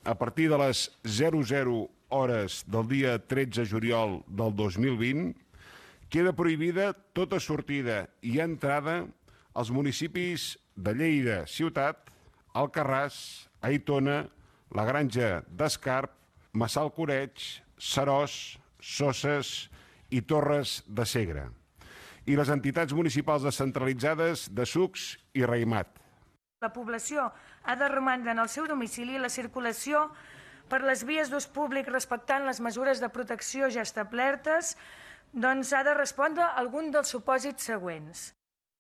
a partir de les 00 hores del dia 13 de juliol del 2020, queda prohibida tota sortida i entrada als municipis de Lleida, Ciutat, Alcarràs, Aitona, la Granja d'Escarp, Massalcoreig, Seròs, Soses i Torres de Segre, i les entitats municipals descentralitzades de Sucs i Raïmat. La població ha de romandre en el seu domicili i la circulació per les vies d'ús públic respectant les mesures de protecció ja establertes ha de respondre a algun dels supòsits següents.